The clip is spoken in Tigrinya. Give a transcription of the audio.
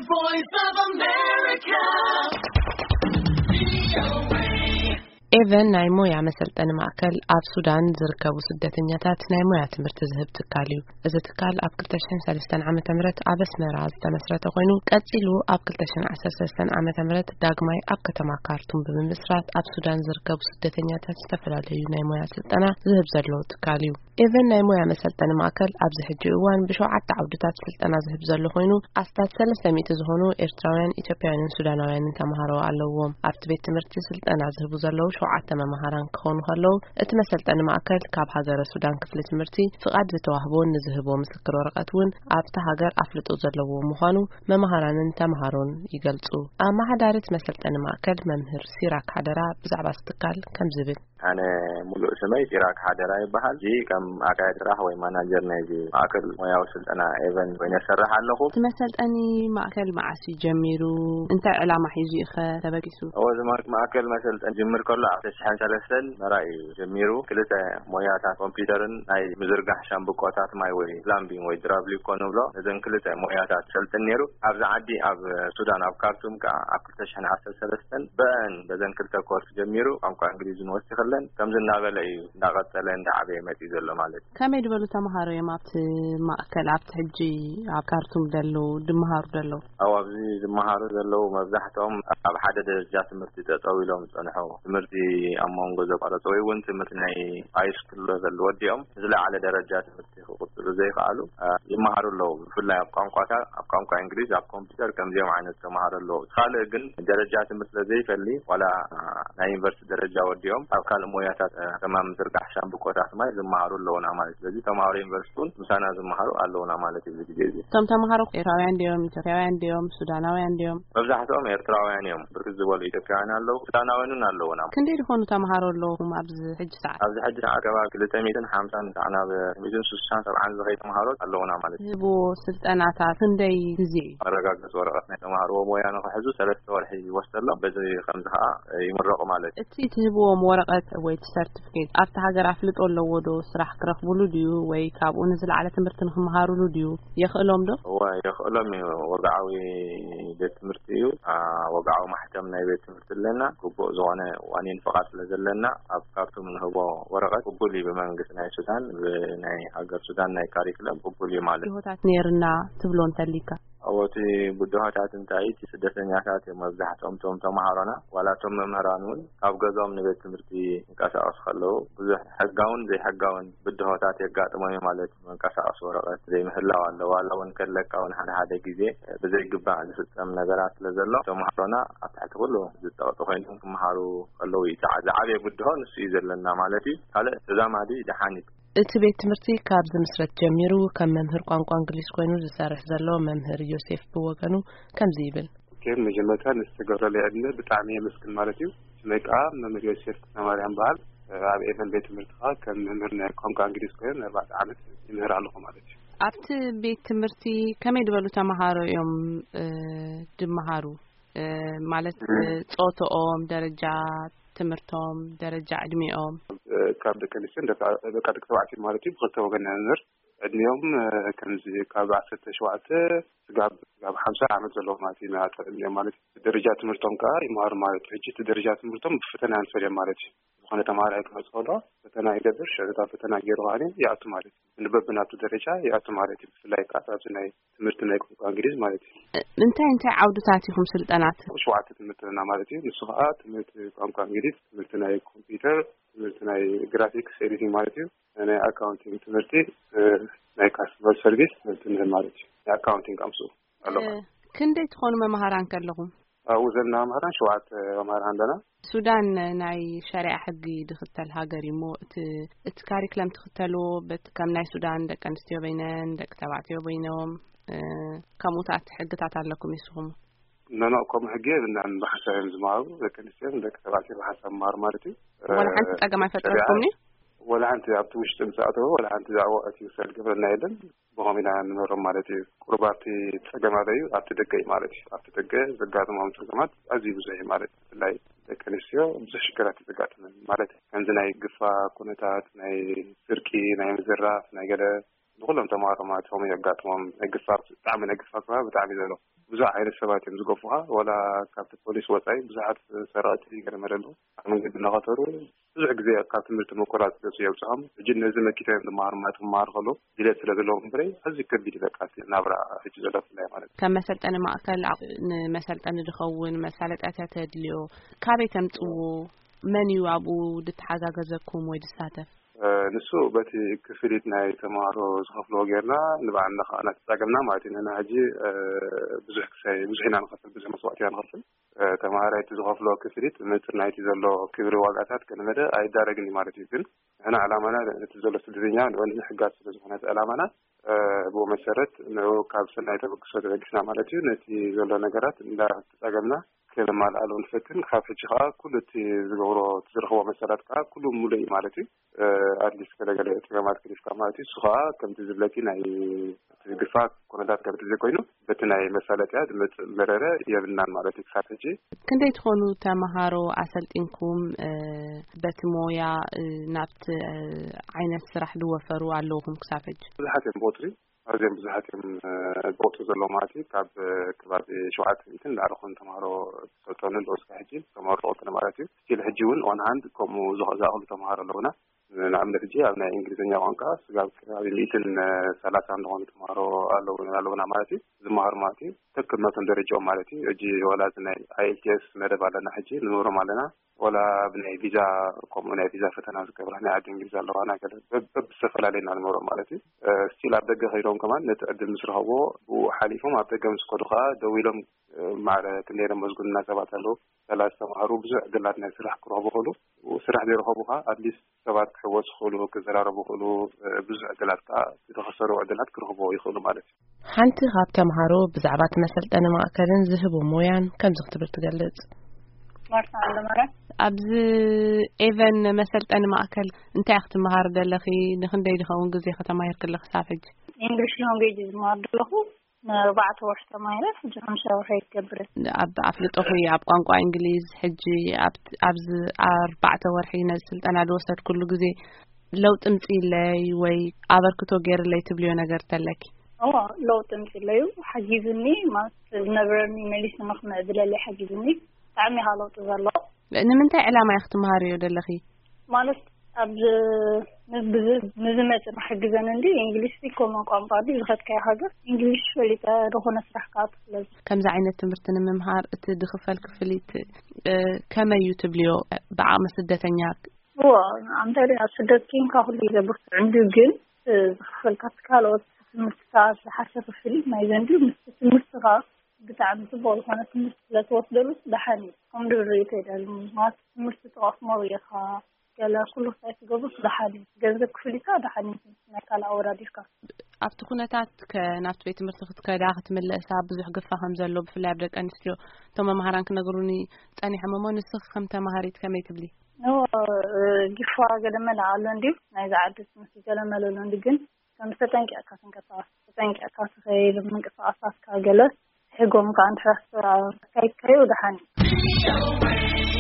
Voice of America. ኤቨን ናይ ሞያ መሰልጠኒ ማእከል ኣብ ሱዳን ዝርከቡ ስደተኛታት ናይ ሞያ ትምህርቲ ዝህብ ትካል እዩ። እዚ ትካል ኣብ ክልተ ሽሕን ሰለስተን ዓመተ ምህረት ኣብ ኣስመራ ዝተመስረተ ኮይኑ፣ ቀጺሉ ኣብ ክልተ ሽሕን ዓሰርተ ሰለስተን ዓመተ ምህረት ዳግማይ ኣብ ከተማ ካርቱም ብምምስራት ኣብ ሱዳን ዝርከቡ ስደተኛታት ዝተፈላለዩ ናይ ሞያ ስልጠና ዝህብ ዘሎ ትካል እዩ። ኤቨን ናይ ሞያ መሰልጠኒ ማእከል ኣብዚ ሕጂ እዋን ብሸውዓተ ዓውድታት ስልጠና ዝህብ ዘሎ ኮይኑ፣ ኣስታት ሰለስተ ሚእቲ ዝኾኑ ኤርትራውያን፣ ኢትዮጵያውያንን ሱዳናውያንን ተምሃሮ ኣለውዎም። ኣብቲ ቤት ትምህርቲ ስልጠና ዝህቡ ዘለዉ ሸውዓተ መማህራን ክኾኑ ከለዉ፣ እቲ መሰልጠኒ ማእከል ካብ ሃገረ ሱዳን ክፍሊ ትምህርቲ ፍቓድ ዝተዋህቦን ንዝህቦ ምስክር ወረቐት እውን ኣብቲ ሃገር ኣፍልጦ ዘለዎ ምዃኑ መማህራንን ተምሃሮን ይገልጹ። ኣመሓዳሪት መሰልጠኒ ማእከል መምህር ሲራክ ሓደራ ብዛዕባ እዚ ትካል ከምዚ ይብል። ኣነ ሙሉእ ስመይ ሲራክ ሓደራ ይበሃል። እዚ ከም ኣካያዲ ስራሕ ወይ ማናጀር ናይዚ ማእከል ሞያዊ ስልጠና ኤቨን ኮይነ እሰርሕ ኣለኹ። እቲ መሰልጠኒ ማእከል መዓስ እዩ ጀሚሩ? እንታይ ዕላማ ሒዙ እዩ ኸ ተበጊሱ? እዎ፣ እዚ ማእከል መሰልጠኒ ጅምር ከሎ ኣብ ተሽሐን ሰለስተን መራ እዩ ጀሚሩ። ክልተ ሞያታት ኮምፒውተርን ናይ ምዝርጋሕ ሻምብቆታት ማይ ወይ ፕላምቢንግ ወይ ድራብሊኮ ንብሎ፣ ነዘን ክልተ ሞያታት ሰልጥን ነይሩ። ኣብዚ ዓዲ ኣብ ሱዳን ኣብ ካርቱም ከኣ ኣብ ክልተ ሽሕን ዓሰርተ ሰለስተን በን በዘን ክልተ ኮርስ ጀሚሩ ቋንቋ እንግሊዝን ወሲኽለን ከምዚ እናበለ እዩ እንዳቐጸለ እንዳዓበየ መጺኡ ዘሎ ማለት እዩ። ከመይ ዝበሉ ተምሃሮ እዮም ኣብቲ ማእከል ኣብቲ ሕጂ ኣብ ካርቱም ዘለዉ ድመሃሩ ዘለዉ? ኣብ ኣብዚ ዝመሃሩ ዘለዉ መብዛሕትኦም ኣብ ሓደ ደረጃ ትምህርቲ ጠጠው ኢሎም ዝጸንሑ፣ ትምህርቲ ኣብ መንጎ ዘቋረጹ ወይ እውን ትምህርቲ ናይ ሃይስኩል ሌቨል ወዲኦም ንዝለዓለ ደረጃ ትምህርቲ ክቕጽሉ ዘይከኣሉ፣ እ፣ ይመሃሩ ኣለዉ። ብፍላይ ኣብ ቋንቋታት፣ ኣብ ቋንቋ እንግሊዝ፣ ኣብ ኮምፒውተር ከምዚኦም ዓይነት ተምሃሮ ኣለዉ። ካልእ ግን ደረጃ ትምህርቲ ስለዘይፈሊ፣ ዋላ፣ እ፣ ናይ ዩኒቨርሲቲ ደረጃ ወዲኦም ኣብ ካልእ ሞያታት፣ እ፣ ከማን ምዝርጋሕ ሻምብቆታት ማይ ዝመሃሩ ኣለዉና ማለት። ስለዚ ተምሃሮ ዩኒቨርሲቲ እውን ምሳና ዝመሃሩ ኣለዉና ማለት እዩ። እዚ ግዜ እዚ እቶም ተምሃሮ ኤርትራውያን ድዮም? ኢትዮጵያውያን ድዮም? ሱዳናውያን ድዮም? መብዛሕትኦም ኤርትራውያን እዮም። ብርክት ዝበሉ ኢትዮጵያውያን ኣለዉ፣ ሱዳናውያን እውን ኣለዉና። ክንደይ ዝኾኑ ተምሃሮ ኣለዉኹም ኣብዚ ሕጂ ሰዓት? ኣብዚ ሕጂ ሰዓት ከባቢ ክልተ ሚእትን ሓምሳን ክሳዕ ናብ ክልተ ሚእትን ስሳን ሰብዓን ዝኸይ ተምሃሮ ኣለዉና ማለት እዩ። ዝህብዎ ስልጠናታት ክንደይ ግዜ እዩ? መረጋገጺ ወረቐት ናይ ተምሃርዎ ሞያ ንኽሕዙ ሰለስተ ወርሒ ይወስደሎም። በዚ ከምዚ ኸዓ ይምረቑ ማለት እዩ። እቲ ትህብዎም ወረቐት ወይ እቲ ሰርቲፊኬት ኣብቲ ሃገር ኣፍልጦ ኣለዎ ዶ? ስራሕ ክረኽብሉ ድዩ? ወይ ካብኡ ንዝለዓለ ትምህርቲ ንኽመሃሩሉ ድዩ? የኽእሎም ዶ? እወ፣ የኽእሎም እዩ። ወግዓዊ ቤት ትምህርቲ እዩ። አ፣ ወግዓዊ ማሕተም ናይ ቤት ትምህርቲ ኣለና። ግቡእ ዝኾነ ዋኒን ፍቓድ ስለ ዘለና፣ ኣብ ካርቱም ንህቦ ወረቐት ቅቡል እዩ ብመንግስቲ ናይ ሱዳን፣ ብናይ ሃገር ሱዳን ናይ ካሪክለም ቅቡል እዩ ማለት እዩ። ብድሆታት ነይርና ትብሎ እንተሊካ? እዎ፣ እቲ ብድሆታት እንታይ፣ እቲ ስደተኛታት እዮም መብዛሕትኦም እቶም ተምሃሮና። ዋላ እቶም መምህራን እውን ካብ ገዝኦም ንቤት ትምህርቲ ይንቀሳቐሱ ከለዉ ብዙሕ ሕጋውን ዘይሕጋውን ብድሆታት የጋጥሞም እዩ ማለት እዩ። መንቀሳቐሲ ወረቐት ዘይምህላው ኣሎ። ዋላ እውን ከለካ እውን ሓደ ሓደ ግዜ ብዘይግባእ ዝፍጸም ነገራት ስለ ዘሎ፣ ተምሃሮና ኣብ ትሕቲ ኩሉ ዝጸቕጢ ኮይኖም ክመሃሩ ከለዉ እዩ። ዝዓ-፣ ዝዓበየ ብድሆ ንሱ እዩ ዘለና ማለት እዩ። ካልእ ተዛማዲ ደሓን እዩ። እቲ ቤት ትምህርቲ ካብ ዝምስረት ጀሚሩ ከም መምህር ቋንቋ እንግሊዝ ኮይኑ ዝሰርሕ ዘሎ መምህር ዮሴፍ ብወገኑ ከምዚ ይብል። ከም መጀመርታ ንዝተገብረለይ ዕድመ ብጣዕሚ የመስግን ማለት እዩ። ስመይ ከዓ መምህር ዮሴፍ ክፍለማርያም በሃል። ኣብ ኤቨን ቤት ትምህርቲ ከዓ ከም መምህር ናይ ቋንቋ እንግሊዝ ኮይኑ ንኣርባዕተ ዓመት ይምህር ኣለኹ ማለት እዩ። ኣብቲ ቤት ትምህርቲ ከመይ ዝበሉ ተምሃሮ እዮም፣ እ፣ ድመሃሩ? እ፣ ማለት፣ እ፣ እ፣ ጾትኦም፣ ደረጃ ትምህርቶም፣ ደረጃ ዕድሚኦም? እ፣ ካብ ደቂ ኣንስትዮ ደቂ፣ ደቂ ተባዕትዮ ማለት እዩ። ብክልተ ወገን ኢና ንምህር። ዕድሚኦም፣ እ፣ ከምዚ ካብ ዓሰርተ ሸውዓተ ስጋብ፣ ስጋብ ሓምሳ ዓመት ዘለዉ ማለት እዩ። ናተ ዕድሚኦም ማለት እዩ። ደረጃ ትምህርቶም ከዓ ይመሃሩ ማለት እዩ። ሕጂ እቲ ደረጃ ትምህርቶም ብፈተና ንፈልዮም ማለት እዩ። ዝኾነ ተምሃራይ ክመጽእ ከሎ ፈተና ይገብር፣ ሽዑ እታ ፈተና ገይሩ ከኣ ይኣቱ ማለት እዩ። ንበብናቱ ደረጃ ይኣቱ ማለት እዩ። ብፍላይ ከዓ ኣብዚ ናይ ትምህርቲ ናይ ቋንቋ እንግሊዝ ማለት እዩ። እ፣ እንታይ እንታይ ዓውድታት ኢኹም ስልጠናት? ሸውዓተ ትምህርቲ ኣለና ማለት እዩ። ንሱ ከዓ ትምህርቲ ቋንቋ እንግሊዝ፣ ትምህርቲ ናይ ኮምፒውተር፣ ትምህርቲ ናይ ግራፊክስ ኤዲቲንግ ማለት እዩ። ናይ ኣካውንቲንግ ትምህርቲ፣ እ፣ ናይ ካስተመር ሰርቪስ ትምህርቲ ንህብ ማለት እዩ። ናይ ኣካውንቲንግ ኣምስኡ ኣሎ እ፣ ማለት እዩ። ክንደይ ትኾኑ መምሃራን ከለኹም? ኣብኡ ዘለና መምህራን ሸውዓተ መምህራን ኣለና። ሱዳን ናይ ሸሪዓ ሕጊ ድኽተል ሃገር እዩ እሞ፣ እቲ፣ እቲ ካሪክለም ትኽተልዎ፣ በት-፣ ከም ናይ ሱዳን ደቂ ኣንስትዮ በይነን፣ ደቂ ተባዕትዮ በይኖም፣ እ፣ ከምኡታት ሕግታት ኣለኩም ንስኹም? ኖ፣ ኖ፣ ከምኡ ሕጊ የብልናን። ብሓንሳብ እዮም ዝመሃሩ፣ ደቂ ኣንስትዮን ደቂ ተባዕትዮ ብሓንሳብ መሃሩ ማለት እዩ። ወላ ሓንቲ እ፣ ጸገም ሸሪዓ ኣይፈጠረልኩምን እዩ? ወላ ሓንቲ ኣብቲ ውሽጢ ምስ ኣተወ፣ ወላ ሓንቲ ዛዕባ እቲ ውሳድ ግብርና የለን። ብኸምኡ ኢና ንመሮም ማለት እዩ። ቁሩብ ኣብቲ ጸገም ኣሎ እዩ፣ ኣብቲ ደገ እዩ ማለት እዩ። ኣብቲ ደገ ዘጋጥሞም ጸገማት ኣዝዩ ብዙሕ እዩ ማለት እዩ። ብፍላይ ደቂ ኣንስትዮ ብዙሕ ሽግራት እዩ ዘጋጥመን ማለት እዩ። ከምዚ ናይ ግፋ ኩነታት፣ ናይ ስርቂ፣ ናይ ምዝራፍ፣ ናይ ገለ ንኩሎም ተማሃሮ ማለት ከምኡ የጋጥሞም። ናይ ግፋፍ፣ ብጣዕሚ ናይ ግፋፍ ከባቢ ብጣዕሚ ዘሎ። ብዙሕ ዓይነት ሰባት እዮም ዝገፉኻ። ዋላ ካብቲ ፖሊስ ወፃኢ ብዙሓት ሰረቕቲ ገለ መለ ኣለዉ። ኣብ መንገዲ እናኸተሩ ብዙሕ ግዜ ካብ ትምህርቲ ምቁራፅ ገፁ የብፅሖም። ሕጂ ነዚ መኪቶም እዮም ዝመሃሩ ማለት ክመሃሩ ከለዉ ድሌት ስለ ዘለዎም እምበረይ ኣዝዩ ከቢድ እዩ። በቃ እቲ ናብራ ሕጂ ዘሎ ብፍላይ ማለት እዩ። ከም መሰልጠኒ ማእከል ዓ-፣ ንመሰልጠኒ ዝኸውን መሳለጥያታት የድልዮ። ካበይ ተምፅዎ? መን እዩ ኣብኡ ድተሓጋገዘኩም ወይ ድሳተፍ? ንሱ በቲ ክፍሊት ናይ ተምሃሮ ዝኸፍልዎ ጌርና ንባዕልና ከዓ እናተፃገምና ማለት እዩ። ንሕና ሕጂ ብዙሕ ክሳይ ብዙሕ ኢና ንኸፍል፣ ብዙሕ መስዋእቲ ኢና ንኸፍል። ተምሃራይ እቲ ዝኸፍሎ ክፍሊት ምፅር ናይቲ ዘሎ ክብሪ ዋጋታት ከነመደ ኣይዳረግን እዩ ማለት እዩ። ግን ንሕና ዕላማና እቲ ዘሎ ስደተኛ ንኡ ንምሕጋዝ ስለ ዝኾነ እቲ ዕላማና ብኡ መሰረት ንኡ ካብ ሰናይ ተበግሶ ተበጊስና ማለት እዩ። ነቲ ዘሎ ነገራት እንዳተፃገምና ከነማልኣሉ ንፈትን። ካብ ሕጂ ከዓ ኩሉ እቲ ዝገብሮ እቲ ዝረኽቦ መሰላት ከዓ ኩሉ ሙሉእ እዩ ማለት እዩ። ኣድሊስ ገለገለ ፀገማት ክሊፍካ ማለት እዩ። እሱ ከዓ ከምቲ ዝብለኪ ናይ እቲ ግፋ ኩነታት ከምቲ ዘይኮይኑ በቲ ናይ መሳለጥያ ዝመፅእ መረረ የብልናን ማለት እዩ ክሳብ ሕጂ። ክንደይ ትኾኑ ተምሃሮ ኣሰልጢንኩም በቲ ሞያ ናብቲ ዓይነት ስራሕ ዝወፈሩ ኣለውኹም ክሳብ ሕጂ? ብዙሓት እዮም ብቁፅሪ ኣዝዮም ብዙሓት እዮም ዝወፁ ዘለዉ ማለት እዩ። ካብ ከባቢ ሸውዓተ ሚእትን ንላዕሊ ኾኑ ተምሃሮ ዝሰልጠኑ ኣለዉ እስካብ ሕጂ ተመረቑ ማለት እዩ። ስቲል ሕጂ እውን ኦን ሃንድ ከምኡ ዝኣኽሉ ተምሃሮ ኣለዉና። ንኣብነት ሕጂ ኣብ ናይ እንግሊዝኛ ቋንቋ ስጋብ ከባቢ ሚእትን ሰላሳን ዝኾኑ ተምሃሮ ኣለዉ ኣለዉና ማለት እዩ። ዝመሃሩ ማለት እዩ። ተክብ መቶም ደረጃኦም ማለት እዩ። ሕጂ ዋላ እዚ ናይ ኣይኤልቲኤስ መደብ ኣለና፣ ሕጂ ንምህሮም ኣለና። ዋላ ብናይ ቪዛ፣ ከምኡ ናይ ቪዛ ፈተና ዝገብራ ናይ ዓዲ እንግሊዝ ኣለዋና ገለ በብ- በብዝተፈላለየ ኢና ንምህሮም ማለት እዩ። ስቲል ኣብ ደገ ከይዶም ከማን ነቲ ዕድል ምስ ረኸብዎ ብኡ ሓሊፎም ኣብ ደገ ምስ ከዱ ከዓ ደዊሎም ማዕረ ክንደይ ነመስግኑና ሰባት ኣለዉ። ሰላ ዝተምሃሩ ብዙሕ ዕድላት ናይ ስራሕ ክረኽቡ ክእሉ፣ ስራሕ ዘይረኸቡ ከዓ ኣትሊስት ሰባት ክሕወሱ ክእሉ፣ ክዘራረቡ ክእሉ፣ ብዙሕ ዕድላት ከዓ ዝኸሰሩ ዕድላት ክረኽቡ ይኽእሉ ማለት እዩ። ሓንቲ ካብ ተምሃሮ ብዛዕባ እቲ መሰልጠኒ ማእከልን ዝህቦ ሞያን ከምዚ ክትብል ትገልጽ። ማርታ ኣለማርያም። ኣብዚ ኤቨን መሰልጠኒ ማእከል እንታይ ክትመሃር ደለኺ? ንክንደይ ዝኸውን ግዜ ከተማሂር ክለኺ ሳብ ሕጂ? ኢንግሊሽ ላንጉጅ ዝመሃር ደለኹ። ንኣርባዕተ ወርሒ ተማሂረ፣ ሕጂ ሓምሻይ ወርሒ ይገብር። ኣብ ኣፍልጦኺ ኣብ ቋንቋ እንግሊዝ፣ ሕጂ ኣብ-፣ ኣብዚ ኣርባዕተ ወርሒ ነዚ ስልጠና ዝወሰድኩሉ ግዜ ለውጢ ምጽኢለይ ወይ ኣበርክቶ ገይርለይ ትብልዮ ነገር ተለኪ? እዎ፣ ለውጢ ምጽኢለዩ፣ ሓጊዝኒ፣ ማለት ዝነበረኒ መሊሱ ንክምዕብለለይ ሓጊዝኒ። ብጣዕሚ ኢኻ ለውጢ ዘሎ። ንምንታይ ዕላማ ኢኺ ትመሃርዮ ደለኺ? ማለት ኣብ ዝ-፣ ንብዝ-፣ ንዝመጽእ ክሕግዘን እንዲ እንግሊሽ ኮመን ቋንቋ ድዩ ዝኸድካዮ ሃገር? እንግሊሽ ፈሊጠ ዝኾነ ስራሕ ክኣቱ ስለዚ። ከምዚ ዓይነት ትምህርቲ ንምምሃር እቲ ዝኽፈል ክፍሊት፣ እ፣ ከመይ እዩ ትብልዮ? ብዓቕሚ ስደተኛ? እዎ፣ ኣንተ ኣብ ስደት ኬንካ ኩሉ እዩ ዘብርትዕ እንዲ ግን፣ እ፣ ዝኽፈልካ እቲ ካልኦት ትምህርትታት ዝሓሸ ክፍሊት ናይ ዘንድዩ ምስ ትምህርትኻ ብጣዕሚ ጽቡቕ ዝኾነ ትምህርቲ ስለ ትወስደሉ ደሓን እዩ። ከም ድብሪ ተይደሉ ማለት ትምህርቲ ትቐስሞ ርኢኻ ገለ ኩሉ ክሳይ ትገብር ደሓን እዩ። ገንዘብ ክፍሊካ ደሓን እዩ። ናይ ካልእ ኣወዳዲርካ። ኣብቲ ኩነታት ከ ናብቲ ቤት ትምህርቲ ክትከዳ ክትምለሳ ብዙሕ ግፋ ከም ዘሎ ብፍላይ ኣብ ደቂ ኣንስትዮ እቶም መምሃራን ክነግሩኒ ጸኒሖም እሞ ንስኺ ከም ተማሃሪት ከመይ ትብሊ? ኖ፣ እ፣ ግፋ ገለ መለ ኣሎ እንድዩ። ናይዚ ዓዲ ትምህርቲ ገለ መለ ኣሎ እንድዩ ግን ከም ተጠንቂቕካ ክንቀሳቐስ፣ ተጠንቂቕካ ትኸይድ፣ ምንቅስቓሳትካ ገለ ሕጎም ከኣ እንድሕር ኣካይድካዮ ደሓን እዩ።